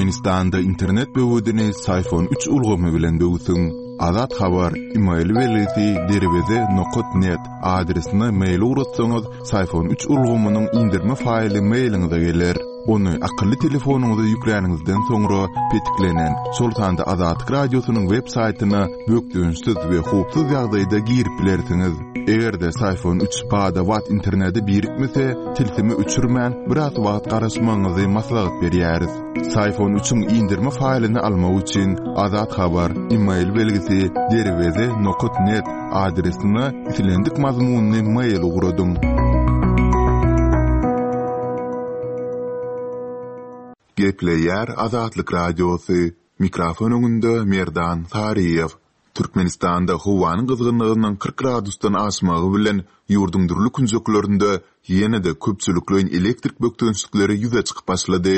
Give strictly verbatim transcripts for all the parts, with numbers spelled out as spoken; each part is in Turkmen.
Türkmenistanda internet böwedini Syfon üç ulgamy bilen böwsüň. Azat Habar, email belgisi derweze nokat net adresine mail ugratsaňyz, Syfon üç ulgamynyň indirme faýly mailiňize geler. Ony akylly telefonyňyza ýükläniňizden soňra petiklenen, şol sanda Azatlyk Radiosynyň web saýtyna bökdençsiz we howpsuz ýagdaýda girip bilersiňiz. Eger-de Syfon üç bada-bat internete birikmese, tilsimi öçürmän biraz wagt garaşmagyňyzy maslahat berýäris. Syfon üçiň indirme faýlyny almak üçin Azat Habar, email belgisi derweze nokat net adresine islendik mazmunyny mail ugradyň. Gepleýär Azatlyk Radiosy. Mikrofon öňünde Merdan Saryýew. Türkmenistanda howanyň gyzgynlygynyň kyrk gradusdan aşmagy bilen ýurduň dürli künjeklerinde ýene-de köpçülikleýin elektrik bökdençlikleri ýüze çykyp başlady.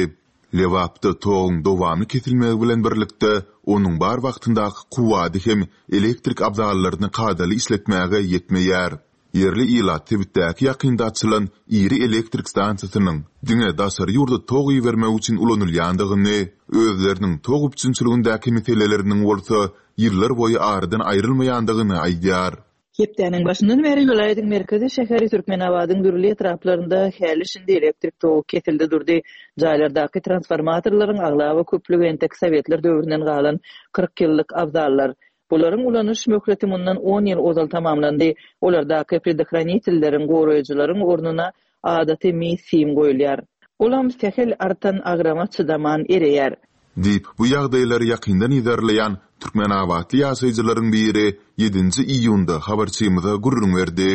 Lebapda toguň dowamly kesilmegi bilen birlikde onuň bar wagtyndaky kuwwady hem elektrik abzallaryny kadaly işletmäge ýetmeýär. Ýerli ilat sebitdäki ýakynda açylan iri elektrik stansiýasynyň diňe daşary ýurda tog ibermek üçin ulanylýandygyny, özleriniň tog üpjünçiligindäki meseleleriniň bolsa ýyllar boýy aradan aýrylmaýandygyny aýdýar. Hepdäniň başyndan bäri welaýatyň merkezi şäheri Türkmenabadyň dürli etraplarynda häli şindi elektrik togy kesildi durdy. Jaýlardaky transformatorlaryň aglaba köplügi entek Sowetler döwründen galan kyrk ýyllyk abzallar. Bularyň ulanyş möhleti mundan on ýyl ozal tamamlandy. Olardaky predохранitelleriň, goraýjylaryň ornuna adaty mis sim goýulýar. Olam sähel artan agrama çydaman ereýär. Diýip, bu ýagdaýlary ýakyndan yzarlaýan Türkmenabatly ýaşaýjylaryň biri ýedinji iýunda habarçymyza gürrüň berdi.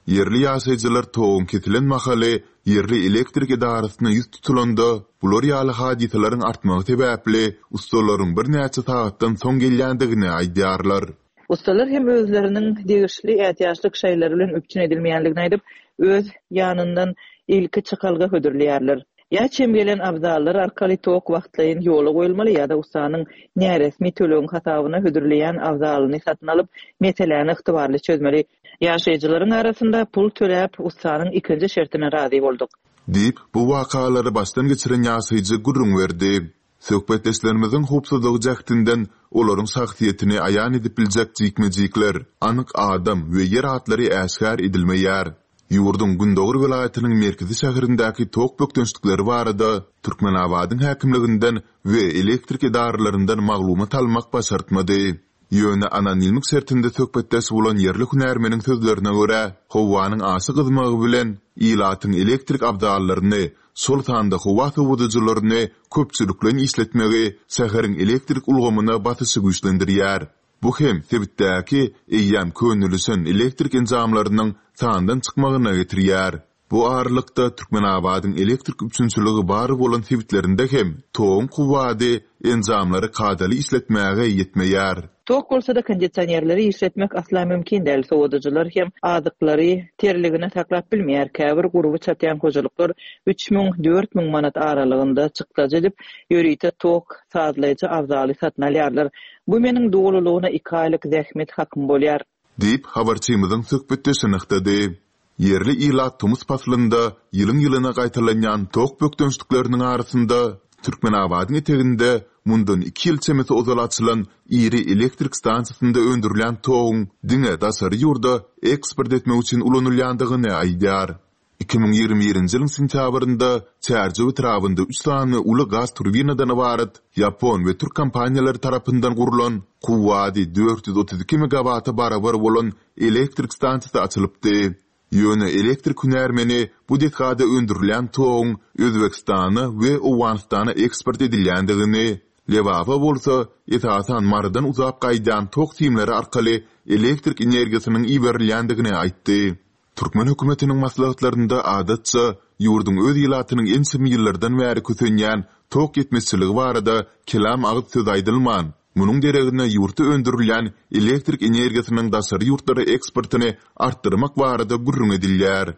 Ýerli ýaşaýjylar toguň kesilen mahaly ýerli elektrik edarasyna ýüz tutulanda, bular ýaly hadysalaryň artmagy sebäpli ustalaryň birnäçe sagatdan soň gelýändigini aýdýarlar. Ustalar hem özleriniň degişli ätiýaçlyk şaýlary bilen üpjün edilmeýändigini aýdyp, öz ýanyndan ilki çykalga hödürleýärler. Ýa çem gelen abzallar arkaly tok wagtlaýyn ýola goýulmaly ýa-da ustanyň näresmi tölegiň hasabyna hödürleýän abzalyny satyn alyp, meseläni ygtybarly çözmeli. Ýaşaýjylaryň arasynda pul töläp, ustanyň ikinji şertine razy bolduk. Diýip, bu wakalary başdan geçiren ýaşaýjy gürrüň berdi. Söhbetdeşlerimiziň howpsuzlygy jähtinden olaryň şahsyýetini aýan edip biljek jikme-jikler, anyk adam we ýer atlary äşgär edilmeýär. Ýurduň Gündogar welaýatynyň merkezi şäherindäki tok bökdençlikleri barada Türkmenabadyň häkimliginden we elektrik edaralaryndan maglumat almak başartmady. Ýöne anonimlik şertinde söhbetdeş bolan ýerli hünärmeniň sözlerine görä, howanyň aşa gyzmagy bilen ilatyň elektrik abzallaryny, şol sanda howa sowadyjylaryny köpçülikleýin işletmegi şäheriň elektrik ulgamyna basyşy güýçlendirýär. Bu hem sebitdäki eýýäm könelişen elektrik enjamlarynyň sandan çykmagyna getirýär. Bu aralykda Türkmenabadyň elektrik üpjünçiligi bar bolan sebitlerinde hem toguň kuwwady enjamlary kadaly işletmäge ýetmeýär. Tok bolsa da kondisionerleri işletmek asla mümkin däl. Sowadyjylar hem azyklary terligine saklap bilmeýär. Käbir gurby çatýan hojalyklar üç müň, dört müň manat aralygynda çykdajy edip, ýörite tok sazlaýjy abzaly satyn alýarlar. Bu meniň dolulygyna iki aýlyk zähmet hakym bolýar. Diýip, habarçymyzyň söhbetdeşi nygtady. Ýerli ilat tomus paslynda ýylyň-ýylyna gaýtalanýan tok bökdençlikleriniň arasynda Türkmenabadyň eteginde mundan iki ýyl çemesi ozal açylan iri elektrik stansiýasynda öndürilýän toguň diňe daşary ýurda eksport etmek üçin ulanylýandygyny aýdýar. Iki müň ýigrimi birinji ýylyň sentýabrynda Çärjew etrabynda üç sany uly gaz turbinadan ybarat ýapon we türk kompaniýalary tarapyndan gurlan kuwwady dört ýüz otuz iki megawata barabar bolan elektrik stansiýasy açylypdy. Ýöne elektrik hünärmeni bu desgada öndürilýän toguň Özbekistana we Owganystana eksport edilýändigini, Lebaba bolsa esasan Marydan uzap gaýdýan tok simleri arkaly elektrik energiýasynyň iberilýändigini aýtdy. Türkmen hökümetiniň maslahatlarynda adatça ýurduň öz ilatynyň ençeme ýyllardan bäri kösenýän tok ýetmezçiligi barada kelam agyz söz aýdylman, munuň deregine ýurtda öndürilýän elektrik energiýasynyň daşary ýurtlara eksportyny artdyrmak barada gürrüň edilýär.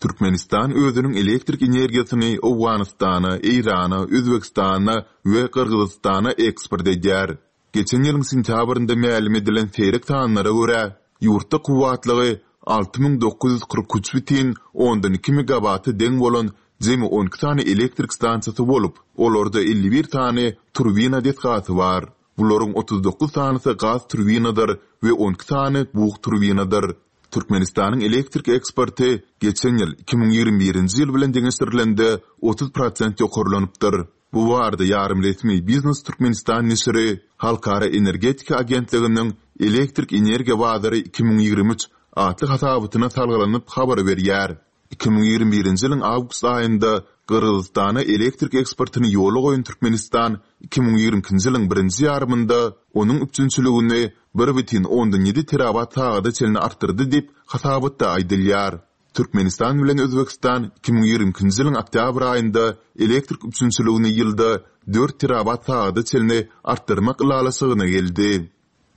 Türkmenistan özüniň elektrik energiýasyny Owganystana, Eýrana, Özbekistana we Gyrgyzystana eksport edýär. Geçen ýylyň sentýabrynda mälim edilen seýrek sanlara görä, ýurtda kuwwatlygy alty müň dokuz ýüz kyrk üç bütin ondan iki megawata deň bolan jemi on iki sany elektrik stansiýasy bolup, olarda elli bir sany turbina desgasy bar. Bularyň otuz dokuz sanysy gaz turbinadyr we on iki sany bug turbinadyr. Türkmenistanyň elektrik eksporty geçen ýyl iki müň ýigrimi birinji ýyl bilen deňeşdirilende otuz prosent ýokarlanypdyr. Bu barada ýarym resmi Biznes Türkmenistan neşiri Halkara energetika agentliginiň elektrik energiýa bazary iki müň ýigrimi üç atly hasabatyna salgylanyp habar berýär. Iki müň ýigrimi birinji ýylyň awgust aýynda Gyrgyzystana elektrik eksportyny ýola goýan Türkmenistan iki müň ýigrimi ikinji ýylyň birinji ýarymynda onuň üpjünçiligini bir bütin ondan ýedi terawatt sagada çenli artdyrdy diýip hasabatda aýdylýar. Türkmenistan bilen Özbegistan iki müň ýigrimi ikinji ýylyň oktýabr aýynda elektrik üpjünçiligini ýylda dört terawatt sagada çenli artdyrmak ylalaşygyna geldi.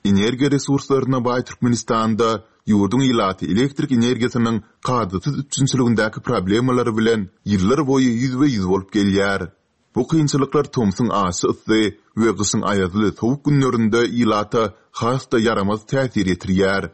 Energiýa resurslaryna baý Türkmenistanda ýurduň ilaty elektrik energiýasynyň kadasyz üpjünçiligindäki problemalary bilen ýyllar boýy ýüzbe-ýüz bolup gelýär. Bu kynçylyklar tomsuň aşy yssy we gyşyň aýazly sowuk günlerinde ilata has-da ýaramaz täsir ýetirýär.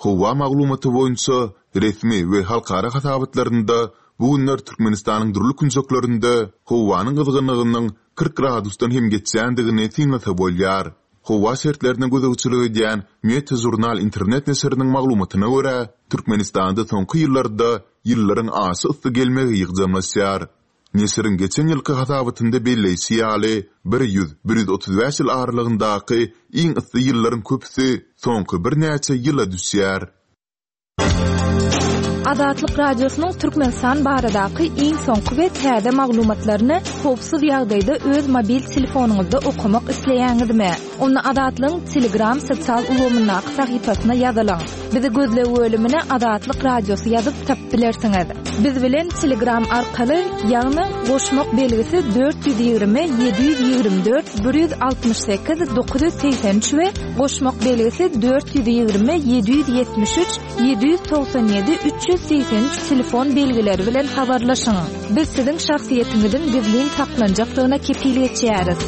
Howa maglumaty boýunça resmi we halkara hasabatlarynda bu günler Türkmenistanyň dürli künjeklerinde howanyň gyzgynlygynyň kyrk gradusdan hem geçýändigini synlasa bolýar. Howa şertlerine gözegçilik edýän Meteo Journal internet neşiriniň maglumatyna görä, Türkmenistanda soňky ýyllarda ýyllaryň aşy yssy gelmegi ýygjamlaşýar. Neşiriň geçen ýylky hasabatynda belleýşi ýaly, bir ýüz, bir ýüz otuz bäş ýyl aralygyndaky iň yssy ýyllaryň köpüsi soňky birnäçe ýyla düşýär. Azatlyk Radiosynyň Türkmenistan baradaky iň soňky we täze maglumatlaryny howpsuz ýagdaýda öz mobil telefonyňyzda okamak isleýäňizmi? Onda Azatlygyň Telegram sosial ulgamyndaky sahypasyna ýazylyň. Bizi gözleg bölümine Azatlyk Radiosy ýazyp tapyp bilersiňiz. Biz bilen Telegram arkaly, ýagny goşmak belgisi dört ýüz ýigrimi, ýedi ýüz ýigrimi dört, bir ýüz altmyş sekiz, dokuz ýüz segsen üç we goşmak belgisi dört ýüz ýigrimi, ýedi ýüz ýetmiş üç, ýedi ýüz togsan ýedi, üç ýüz segsen üç telefon belgileri bilen habarlaşyň. Biz siziň şahsyýetiňiziň gizlin saklanjakdygyna kepil geçýäris.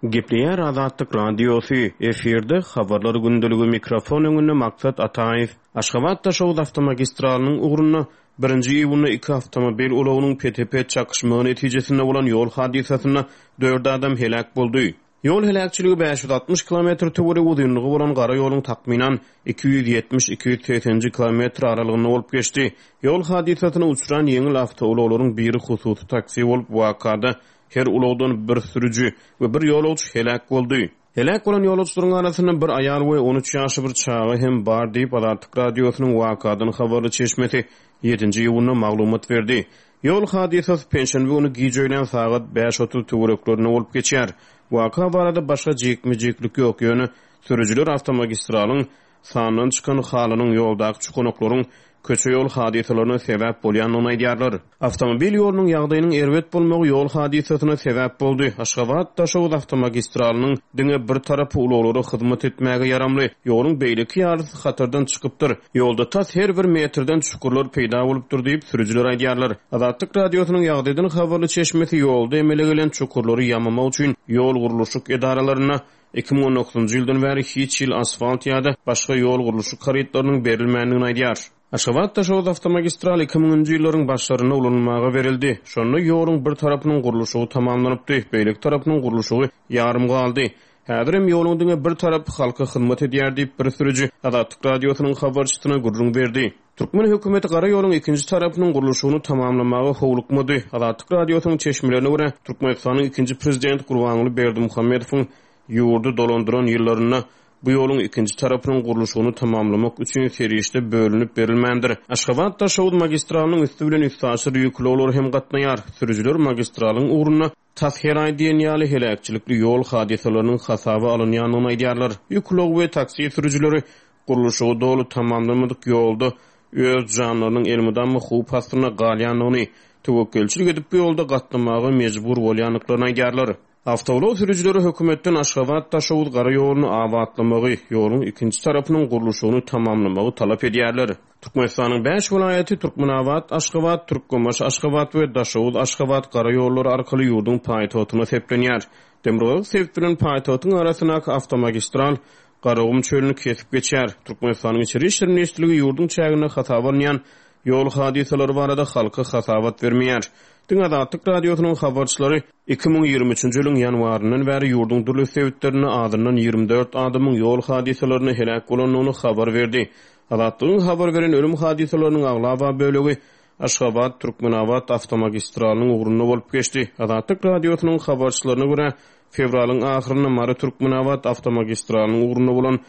Gepleýär Azatlyk Radiosy, efirde habarlar gündeligi mikrofon öňünde Maksat Ataýew. Aşgabat Daşoguz awtomagistralynyň ugrunda birinji iýunda iki awtomobil ulagynyň P T P çakyşmagy netijesinde bolan ýol hadysasynda dört adam heläk boldy. Ýol heläkçiligi bäş ýüz altmyş kilometr töweregi uzynlygy bolan gara ýoluň takmynan iki ýüz ýetmiş iki ýüz segsenji kilometr aralygynda bolup geçdi. Ýol hadysasyna uçran ýeňil awtoulaglaryň biri hususy taksi bolup, wakada her ulagdan bir sürüji we bir ýolagçy heläk boldy. Heläk bolan ýolagçylaryň arasynda bir aýal we on üç ýaşly bir çaga hem bar diýip Azatlyk Radiosynyň wakadan habarly çeşmesi ýedinji iýunda maglumat berdi. Ýol hadysasy penşenbe güni gije öýlän sagat bäş otuz töwereklerinde bolup geçýär. Waka barada başga jikme-jiklik ýok, ýöne sürüjiler awtomagistralyň sandan çykan halynyň ýoldaky çukunoklaryň köçe ýol hadysalaryna sebäp bolýandygyny aýdýarlar. Awtomobil ýolunyň ýagdaýynyň erbet bolmagy ýol hadysasyna sebäp boldy. Aşgabat Daşoguz awtomagistralynyň diňe bir tarapy ulaglara hyzmat etmäge ýaramly, ýoluň beýleki ýarysy hatardan çykypdyr. Ýolda tas her bir metrden çukurlar peýda bolupdyr diýip sürüjiler aýdýarlar. Azatlyk Radiosynyň ýagdaýdan habarly çeşmesi ýolda emele gelen çukurlary ýamamak üçin ýol gurluşyk edaralarynda iki müň on dokuzynjy ýyldan bäri hiç ýyl asfalt ýa-da başga ýol gurluşyk harytlarynyň berilmändigini aýdýar. Aşgabat Daşoguz awtomagistral iki müňünji ýyllaryň başlarynda ulanylmaga berildi. Şonda ýoluň bir tarapynyň gurluşygy tamamlanypdy, beýleki tarapynyň gurluşygy ýarym galdy. Häzir hem ýoluň diňe bir tarapy halka hyzmat edýär diýip bir sürüji Azatlyk Radiosynyň habarçysyna gürrüň berdi. Türkmen hökümeti gara ýoluň ikinji tarapynyň gurluşygyny tamamlamaga howlukmady. Azatlyk Radiosynyň çeşmelerine görä, Türkmenistanyň ikinji prezidenti Gurbanguly Berdimuhamedowyň ýurdy dolandyran ýyllarynda bu ýoluň ikinji tarapynyň gurluşygyny tamamlamak üçin serişde bölünip berilmändir. Aşgabat Daşoguz magistralynyň üstü bilen üstaşyr ýük ulaglar hem gatnaýar. Sürüjiler magistralyň ugrunda tas her aý diýen ýaly heläkçilikli ýol hadysalarynyň hasaba alynýandygyny aýdýarlar. Ýük ulagy we taksi sürüjileri gurluşygy doly tamamlamadyk ýolda öz janlarynyň elmydama howp astynda galýandygyny, töwekgelçilik edip bu ýolda gatnamaga mejbur bolýandyklaryny aýdýarlar. Awtoulag sürüjileri hökümetden Aşgabat Daşoguz gara ýoluny abatlamagy, ýoluň ikinji tarapynyň gurluşygyny tamamlamagy talap edýärler. Türkmenistanyň bäş welaýaty Türkmenabat, Aşgabat, Türkmenbaşy, Aşgabat we Daşoguz, Aşgabat gara ýollary arkaly ýurduň paýtagtyna seplenýär. Demirgazyk sebit bilen paýtagtyň arasyndaky awtomagistral Garagum çölüni kesip geçýär. Türkmenistanyň İçeri İşler Ministrligi ýurduň çäginde hasaba alynýan ýol hadysalary barada halka hasabat bermeýär. Diňe Azatlyk Radiosynyň habarçylary iki müň ýigrimi üçünji ýylyň ýanwaryndan bäri ýurduň dürli sebitlerinde azyndan ýigrimi dört adamyň ýol hadysalarynda heläk bolandygyny habar berdi. Azatlygyň habar beren ölüm hadysalarynyň aglaba bölegi Aşgabat Türkmenabat awtomagistralynyň ugrunda bolup geçdi. Azatlyk Radiosynyň habarçylaryna görä, fewralyň ahyrynda Mary Türkmenabat awtomagistralynyň ugrunda bolan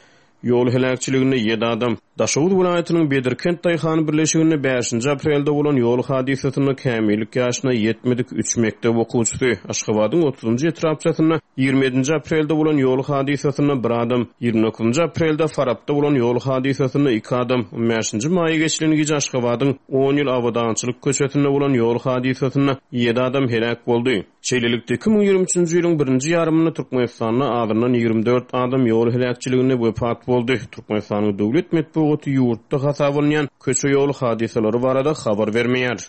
ýol heläkçiliginde ýedi adam, Daşoguz welaýatynyň Bedirkent Daýhan birleşiginde bäşinji aprelde bolan ýol hadysasynda kämillik ýaşyna ýetmedik üç mekdep okuwçysy, Aşgabadyň otuzynjy etrapçasynda ýigrimi ýedinji aprelde bolan ýol hadysasynda bir adam, ýigrimi dokuzynjy aprelde Farapda bolan ýol hadysasynda iki adam, on bäşinji maýa geçilen gije Aşgabadyň on ýyl Abadançylyk köçesinde bolan ýol hadysasynda ýedi adam heläk boldy. Şeýlelikde, iki müň ýigrimi üçünji ýylyň birinji ýarymynda Türkmenistanda azyndan ýigrimi dört adam ýol heläkçiliginde wepat boldy. Türkmenistanyň döwlet metbugaty ýurtda hasap alynýan köçe ýol hadysalary barada habar bermeýär.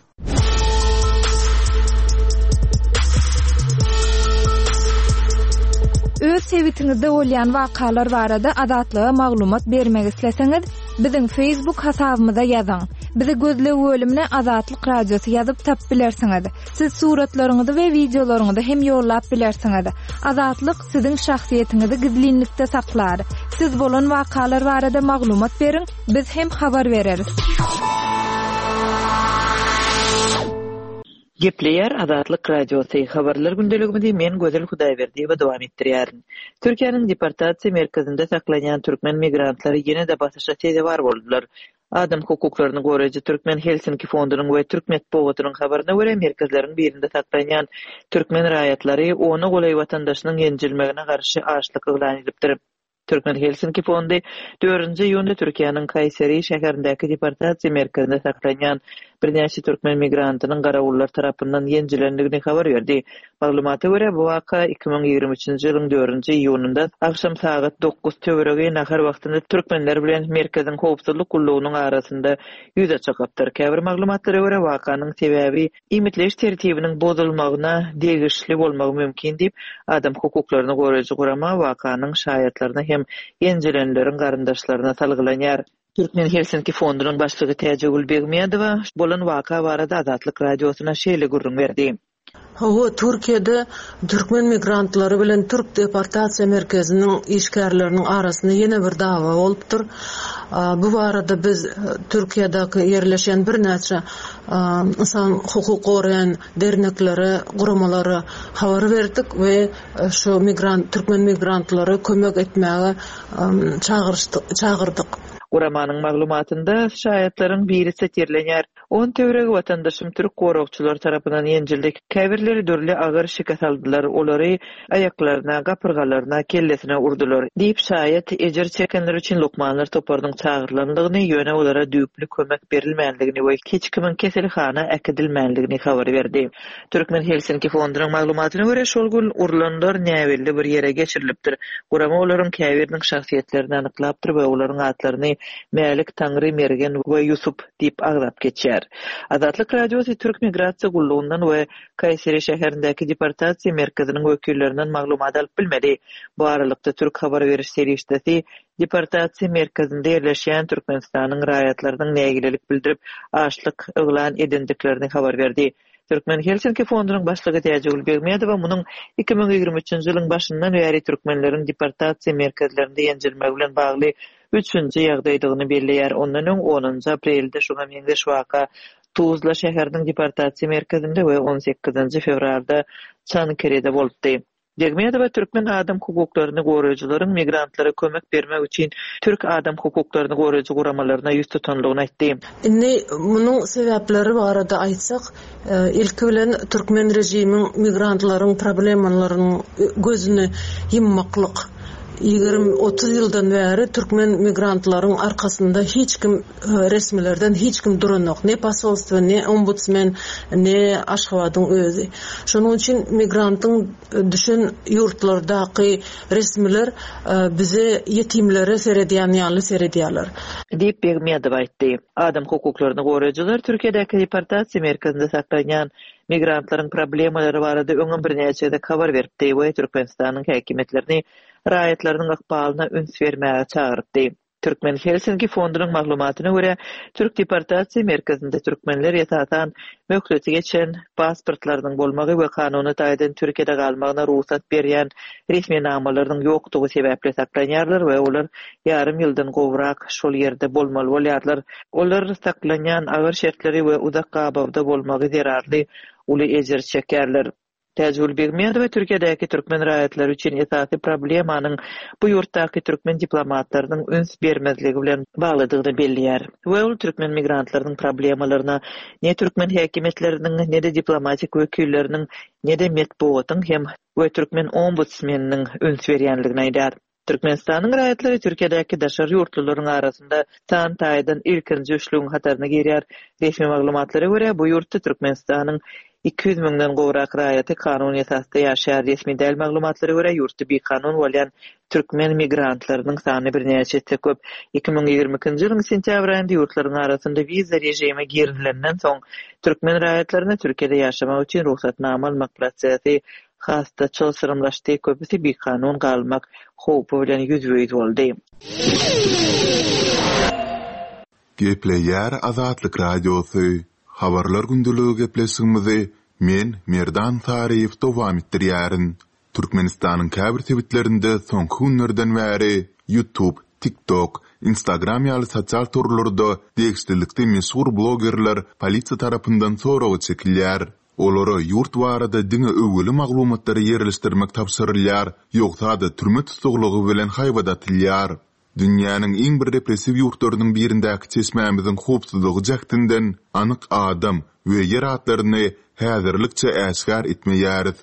Öz sebitiňizde bolýan wakalar barada Azatlyga maglumat bermek isleseňiz, biziň Facebook hasabymyza ýazyň. Bizi gözleg bölümine Azatlyk Radiosy ýazyp tap bilersiňiz. Siz suratlaryňyzy we videolaryňyzy hem ýollap bilersiňiz. Azatlyk siziň şahsyýetiňizi gizlinlikde saklar. Siz bolan wakalar barada maglumat beriň, biz hem habar bereris. Gepleýär Azatlyk Radiosy. Habarlar gündeligimizi men Gözel Hudaýberdiýewa dowam etdirýärin. Türkiýäniň deportasiýa merkezinde saklanýan türkmen migrantlary ýene-de basyşa sezewar boldular. Adam hukuklaryny goraýjy Türkmen Helsinki fondunyň we Türk metbugatynyň habaryna görä merkezleriň birinde saklanýan türkmen raýatlary ona golaý watandaşynyň ýenjilmegine garşy açlyk yglan edipdir. Türkmen Helsinki fondy dördünji iýunda Türkiýäniň Kayseri şäherindäki deportasiýa merkezinde saklanýan birnäçe türkmen migrantynyň garawullar tarapyndan ýenjilendigini habar berdi. Maglumata görä, bu waka iki müň ýigrimi üçünji ýylyň dördünji iýunynda akşam sagat dokuz töweregi nahar wagtynda türkmenler bilen merkeziň howpsuzlyk gullugynyň arasynda ýüze çykypdyr. Käbir maglumatlara görä, wakanyň sebäbi iýmitleýiş tertibiniň bozulmagyna degişli bolmagy mümkin diýip, adam hukuklaryny goraýjy gurama wakanyň şaýatlaryna hem ýenjilenleriň garyndaşlaryna salgylanýar. Türkmen Helsinki fondunyň başlygy Täjegül Begmedowa bolan waka barada Azatlyk Radiosyna şeýle gürrüň berdi. Hawa, Türkiýede türkmen migrantlary bilen Türk deportasiýa merkeziniň işgärleriniň arasynda ýene bir dawa bolupdyr. Bu barada biz Türkiýedäki ýerleşen birnäçe insan hukuk goraýan derneklere, guramalara habar berdik we şu migrant türkmen migrantlary kömek etmäge çagyrdyk. Guramanyň maglumatynda şaýatlaryň biri sitirlenýär. On töweregi watandaşym türk goragçylar tarapyndan ýenjildi. Käbirleri dürli agyr şikes aldylar, olary aýaklaryna, gapyrgalaryna, kellesine urdular diýip şaýat ejir çekenler üçin lukmanlar toparynyň çagyrylandygyny, ýöne olara düýpli kömek berilmändigini we hiç kimiň keselhana äkidilmändigini habar berdi. Türkmen Helsinki fondunyň maglumatyna görä, şol gün urlanlar näbelli bir ýere geçirilipdir. Gurama olaryň käbiriniň şahsyýetlerini anyklapdyr we olaryň atlaryny Mälik, Taňry, Mergen we Ýusup diýip agzap geçýär. Azatlyk Radiosy Türk Migrasiýa Gullugyndan we Kayseri şäherindäki deportasiýa merkeziniň wekillerinden maglumat alyp bilmedi. Bu aralykda Türk habar beriş serişdesi deportasiýa merkezinde ýerleşýän Türkmenistanyň raýatlarynyň nägilelik bildirip açlyk yglan edendiklerini habar berdi. Türkmen Helsinki fondunyň başlygy Täjigül Begmedowa munuň iki müň ýigrimi üçünji ýylyň başyndan bäri türkmenleriň deportasiýa merkezlerinde ýenjilmegi bilen bagly üçünji ýagdaýdygyny belleýär. Ondan öň onunjy aprelde şoňa meňzeş waka Tuzla şäheriniň deportasiýa merkezinde we on sekizinji fewralda Çankırıda bolupdy. Begmedowa türkmen adam hukuklaryny goraýjylaryň migrantlara kömek bermek üçin türk adam hukuklaryny goraýjy guramalaryna ýüz tutanlygyny aýtdy. Indi munuň sebäpleri barada aýtsak, ilki bilen türkmen rejimiň migrantlaryň problemalarynyň gözüni ýummaklyk. Ýigrimi otuz ýyldan bäri türkmen migrantlaryň arkasynda hiç kim, resmilerden hiç kim duranok. Ne posolstvo, ne ombudsmen, ne Aşgabadyň özi. Şonuň üçin migrantyň düşen ýurtlardaky resmiler, bize ýetimlere seredýän ýaly seredýärler. Diýip Begmedowa aýtdy. Adam hukuklaryny goraýjylar Türkiýedäki deportasiýa merkezinde saklanýan migrantlaryň problemalary barada öňem birnäçe gezek habar beripdi we Türkmenistanyň häkimiýetlerini raýatlarynyň ykbalyna üns bermäge çagyrypdy. Türkmen Helsinki fondunyň maglumatyna görä, Türk deportasiýa merkezinde türkmenler esasan möhleti geçen pasportlarynyň bolmagy we kanuny taýdan Türkiýede galmagyna rugsat berýän resminamalarynyň ýokdugy sebäpli saklanýarlar we olar ýarym ýyldan gowrak şol ýerde bolmaly bolýarlar. Olar saklanýan agyr şertleri we uzak gabawda bolmagy zerarly uly ejir çekýärler. Täjigül Begmedowa Türkiýedäki türkmen raýatlary üçin esasy problemanyň bu ýurtdaky türkmen diplomatlarynyň üns bermezligi bilen baglydygyny belleýär. We ol türkmen migrantlarynyň problemalaryna ne türkmen häkimiýetleriniň, ne-de diplomatik wekilleriniň, ne-de metbugatyň hem we türkmen ombudsmeniniň üns berýänligini aýdar. Türkmenistanyň raýatlary Türkiýedäki daşary ýurtlularyň arasynda san taýdan ilkinji üçlügiň hataryna girýär. Resmi maglumatlara görä, bu ýurtda Türkmenistanyň iki ýüz müňden gowrak raýaty kanun esasda ýaşaýar. Resmi däl maglumatlara görä, ýurtda bikanun bolýan türkmen migrantlarynyň sany birnäçe esse köp. Iki müň ýigrimi ikinji ýylyň sentýabr aýynda ýurtlaryň arasynda wiza režimi girizilenden soň, türkmen raýatlaryna Türkiýede ýaşamak üçin rugsatnama almak prosesi has-da çylşyrymlaşdy, köpüsi bikanun galmak howpy bilen ýüzbe-ýüz boldy. Gepleýär Azatlyk Radiosy, Habarlar gündeligi gepleşigimizi men, Merdan Saryýew dowam etdirýärin. Türkmenistanyň käbir sebitlerinde soňky günlerden bäri YouTube, TikTok, Instagram ýaly sosial torlarda degişlilikde meşhur blogerler polisiýa tarapyndan soraga çekilýär. Olara ýurt barada diňe öwgüli maglumatlary ýerleşdirmek tabşyrylýar, ýogsa-da türme tussaglygy bilen haýbat atylýar. Dünýäniň iň bir repressiw ýurtlarynyň birindäki çeşmämiziň howpsuzlygy jähtinden anyk adam we ýer atlaryny häzirlikçe äşgär etmeýäris.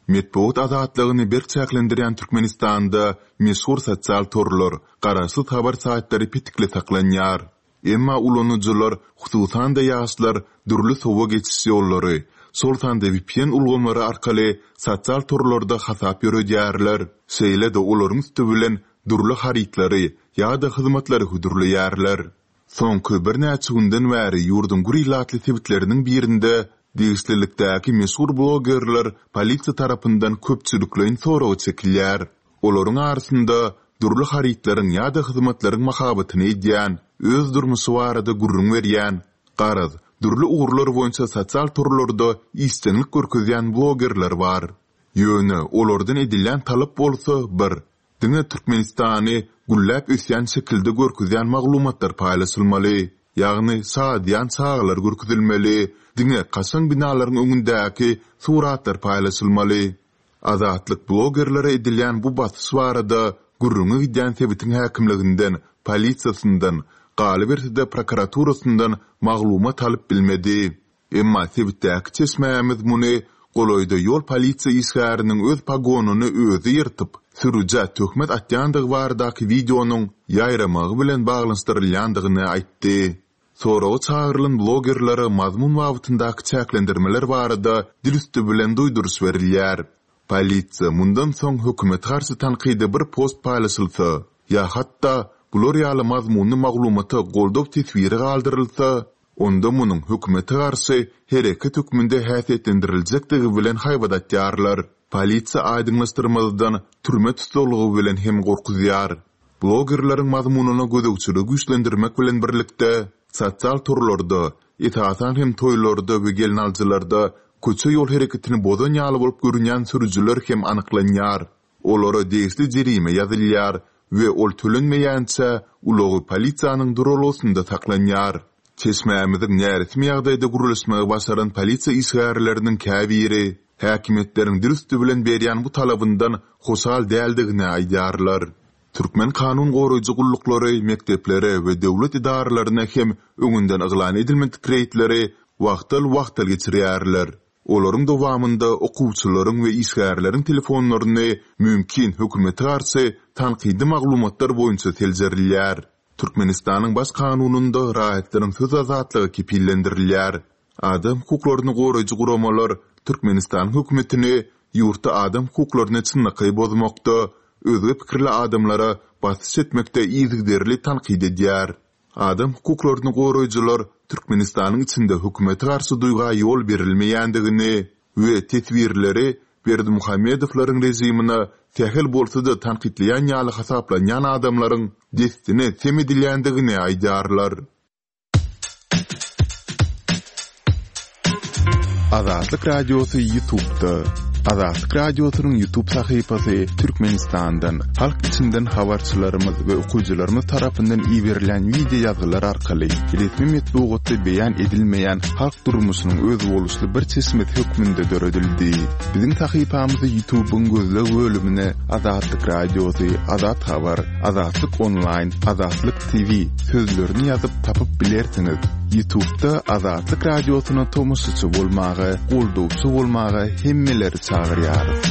Metbugat azatlygyny berk çäklendirýän Türkmenistanda meşhur sosial torlar, garaşsyz habar saýtlary petikli saklanýar. Emma ulanyjylar, hususan-da ýaşlar dürli sowa geçiş ýollary, şol sanda V P N ulgamlary arkaly sosial torlarda hasap ýöredýärler, şeýle-de olaryň üsti bilen dürli harytlary ýa-da hyzmatlary hödürleýärler. Soňky birnäçe günden bäri ýurduň gür ilatly sebitleriniň birinde degişlilikdäki meşhur blogerler polisiýa tarapyndan köpçülikleýin soraga çekilýär. Olaryň arasynda dürli harytlaryň ýa-da hyzmatlaryň mahabatyny edýän, öz durmuşy barada gürrüň berýän, garaz, dürli ugurlar boýunça sosial torlarda işjeňlik görkezýän blogerler bar. Ýöne olardan edilýän talap bolsa bir, diňe Türkmenistany gülläp ösýän şekilde görkezýän maglumatlar paýlaşylmaly, ýagny şadyýan çagalar görkezilmeli, diňe kaşaň binalaryň öňündäki suratlar paýlaşylmaly. Azatlyk blogerlere edilýän bu basyş barada gürrüňi gidýän sebitiň häkimliginden, polisiýasyndan, galyberse-de prokuraturasyndan maglumat alyp bilmedi. Emma sebitdäki çeşmämiz muny golaýda ýol polisiýa işgäriniň öz pogonyny özi ýyrtyp, sürüjä töhmet atýandygy baradaky wideonyň ýaýramagy bilen baglanyşdyrylýandygyny aýtdy. Soraga çagyrylan blogerlere mazmun babatyndaky çäklendirmeler barada dil üsti bilen duýduryş berilýär. Polisiýa mundan soň hökümete garşy tankydy bir post paýlaşylsa, ýa hatda bular ýaly mazmunly maglumata goldaw teswiri galdyrylsa, onda munuň hökümete garşy hereket hökmünde häsiýetlendiriljekdigi bilen haýbat atýarlar. Polisiýa aýdyňlaşdyrmazdan türme tussaglygy bilen hem gorkuzýar. Blogerleriň mazmunyna gözegçiligi güýçlendirmek bilen birlikde, sosial torlarda, esasan hem toýlarda we gelnaljylarda köçe ýol hereketini bozan ýaly bolup görünýän sürüjiler hem anyklanýar. Olara degişli jerime ýazylýar we ol tölenmeýänçä ulagy polisiýanyň duralgasynda saklanýar. Çeşmämiziň näresmi ýagdaýda gürleşmegi başaran polisiýa işgärleriniň käbiri häkimiýetleriň dil üsti bilen berýän bu talabyndan hoşal däldigini aýdýarlar. Türkmen kanun goraýjy gulluklary mekdeplere we döwlet edaralaryna hem öňünden yglan edilmedik reýdleri wagtal-wagtal geçirýärler. Olaryň dowamynda okuwçylaryň we işgärleriň telefonlaryny mümkin hökümete garşy tankydy maglumatlar boýunça seljerilýär. Türkmenistanyň baş kanunynda raýatlaryň söz azatlygy kepillendirilýär. Adam hukuklaryny goraýjy guramalar Türkmenistanyň hökümetini ýurtda adam hukuklaryny çynlakaý bozmakda, özge pikirli adamlara basyş etmekde yzygiderli tankyt edýär. Adam hukuklaryny goraýjylar Türkmenistanyň içinde hökümete garşy duýga ýol berilmeýändigini we teswirleri Berdimuhamedowlaryň režimine sähel bolsa-da tankytlaýan ýaly hasaplanýan adamlaryň destine sem edilýändigini aýdýarlar. Azatlyk Radiosy YouTube'da. Azatlyk Radiosynyň YouTube sahypasy Türkmenistandan, halk içinden habarçylarymyz we okyjylarymyz tarapyndan iberilen wideo ýazgylar arkaly resmi metbugatda beýan edilmeýän halk durmuşynyň özboluşly bir çeşmesi hökmünde döredildi. Biziň sahypamyzy YouTube'yň gözleg bölümine Azatlyk Radiosy, Azat Habar, Azatlyk Online, Azatlyk T V sözlerini ýazyp tapyp bilersiňiz. YouTube'da Azatlyk Radiosyna tomaşaçy bolmaga, goldawçy bolmaga hemmeleri çagyrýarys.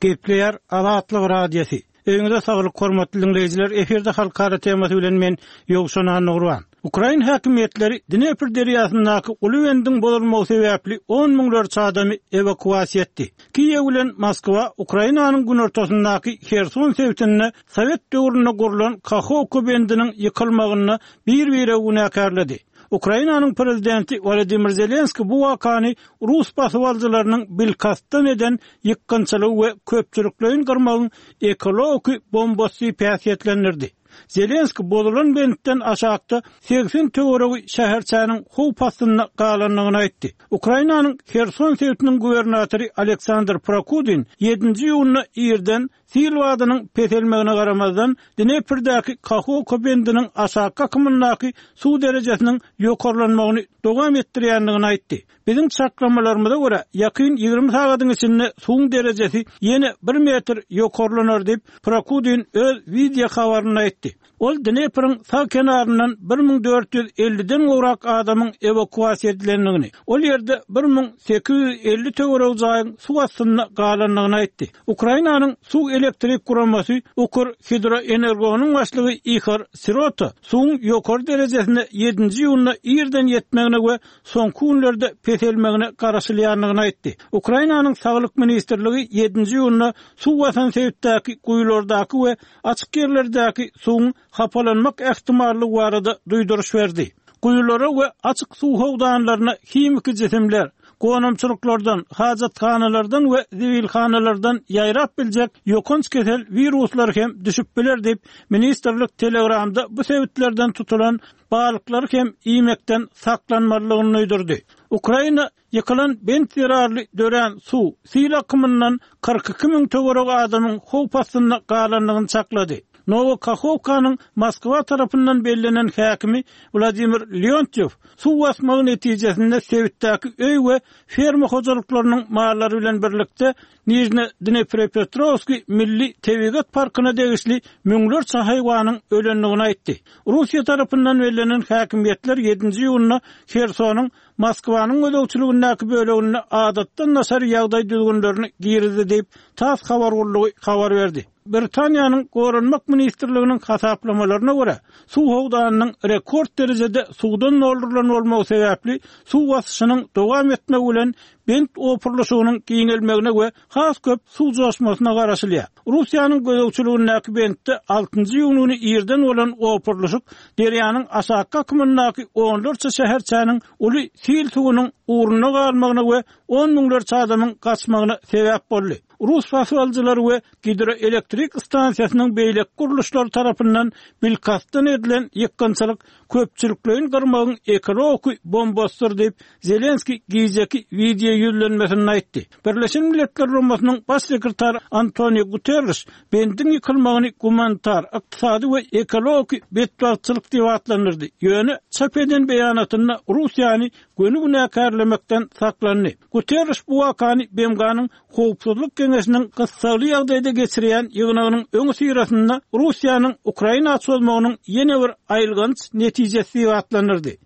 Gepleýär Azatlyk Radiosy. Öýüňize saglyk hormatly dinleýjiler, efirde halkara temasy bilen men Ýowşan Annagurban. Ukrain häkimiýetleri Dnepr derýasyndaky uly bendiň bozulmagy sebäpli on müňlerçe adamy ewakuasiýa etdi. Kiýew bilen Moskwa Ukrainanyň günortasyndaky Herson sebitinde Sowet döwründe gurlan Kahovka bendiniň ýykylmagyny bir-bire günäkärledi. Ukrainanyň prezidenti Wladimir Zelenski bu wakany Rus basybalyjylarynyň bilkastdan eden ýykgynçylygy we köpçülikleýin gyrmagyň ekologik bombasy diýip häsiýetlendirdi. Zelenski bozulan bentden aşakda segsen töweregi şäherçäniň howp astynda galandygyny aýtdy. Ukrainanyň Herson sebitiniň gubernatory Aleksandr Prokudin ýedinji iýunda irden sil badynyň peselmegine garamazdan Dneprdäki Kahovka bendiniň aşaky akymyndaky suw derejesiniň ýokarlanmagyny dowam etdirýändigini aýtdy. Biziň çaklamalarymyza görä, ýakyn ýigrimi sagadyň içinde suwuň derejesi ýene bir metr ýokarlanar diýip, Prokudin öz wideo habarynda aýtdy. Ol Dnepriň sag kenaryndan bir müň dört ýüz elliden gowrak adamyň ewakuasiýa edilendigini, ol ýerde bir müň sekiz ýüz elli töweregi jaýyň suw astynda galandygyny aýtdy. Ukrainanyň suw elektrik guramasy Ukr Hidroenergonyň başlygy Ihor Sirota suwuň ýokary derejesine ýedinji iýunda irden ýetmegine we soňky günlerde peselmegine garaşylýandygyny aýtdy. Ukrainanyň Saglyk ministrligi ýedinji iýunda suw basan sebitdäki guýulardaky we açyk ýerlerdäki suwuň hapalanmak ähtimallygy barada duýduryş berdi. Guýulara we açyk suw howdanlaryna himiki jisimler, gonamçylyklardan, hajathanalardan we zibilhanalardan ýaýrap biljek ýokanç kesel wiruslar hem düşüp biler diýip, ministrlik Telegramda bu sebitlerden tutulan balyklary hem iýmekden saklanmalydygyny duýdurdy. Ukraina ýykylan bent zerarly dörän suw sil akymyndan kyrk iki müň töweregi adamyň howp astynda galandygyny çaklady. Nowokahovkanyň Moskwa tarapyndan bellenen häkimi Wladimir Leontyew suw basmagy netijesinde sebitdäki öý we ferma hojalyklarynyň mallary bilen birlikde Nijne Dnepropetrowski Milli Tebigat Parkyna degişli müňlerçe haýwanyň ölendigini aýtdy. Russiýa tarapyndan bellenen häkimiýetler ýedinji iýunda Hersonyň Moskwanyň gözegçiligindäki böleginde adatdan daşary ýagdaý düzgünlerini girizdi diýip, TASS habar gullugy habar berdi. Britaniýanyň Goranmak ministrliginiň hasaplamalaryna görä, suw howdanynyň rekord derejede suwdan doldurylan bolmagy sebäpli suw basyşynyň dowam etmegi bilen bent opurylyşygynyň giňelmegine we has köp suw joşmasyna garaşylýar. Russiýanyň gözegçiligindäki bentde altynjy iýun güni irden bolan opurylyşyk derýanyň aşaky akymyndaky onlarça şäherçäniň uly sil suwunyň ugruna galmagyna we on müňlerçe adamyň gaçmagyna sebäp boldy. Rus basybalyjylary we gidroelektrik stansiýasynyň beýleki gurluşlary tarapyndan bilkastdan edilen ýykgynçylyk köpçülikleýin gyrmagyň ekologik bombasydyr diýip, Zelenski gijeki wideo ýüzlenmesinde aýtdy. Birleşen Milletler Guramasynyň baş sekretary Antonio Guterres bendiň ýykylmagyny gumanitar, ykdysady we ekologik betbagtçylyk diýip atlandyrdy. Ýöne çap eden beýanatynda Russiýany göni günäkärlemekden saklandy. Guterres bu wakany B M G-nyň Howpsuzlyk Geňeşiniň gyssagly ýagdaýda geçirýän ýygnagynyň öňi syrasynda Russiýanyň Ukraina çozmagynyň ýene bir aýylganç netijesi diýip atlandyrdy.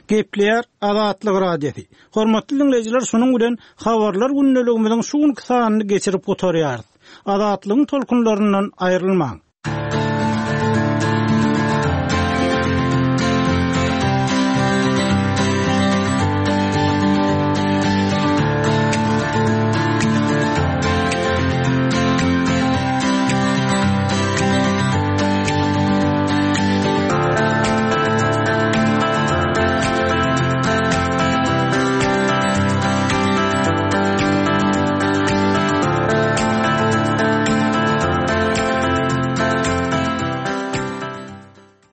Gepleýär Azatlyk Radiosy. Hormatly dinleýjiler, şunuň bilen habarlar gündeligimiziň şu günki sanyny geçirip gutarýarys. Azatlygyň tolkunlaryndan aýrylmaň.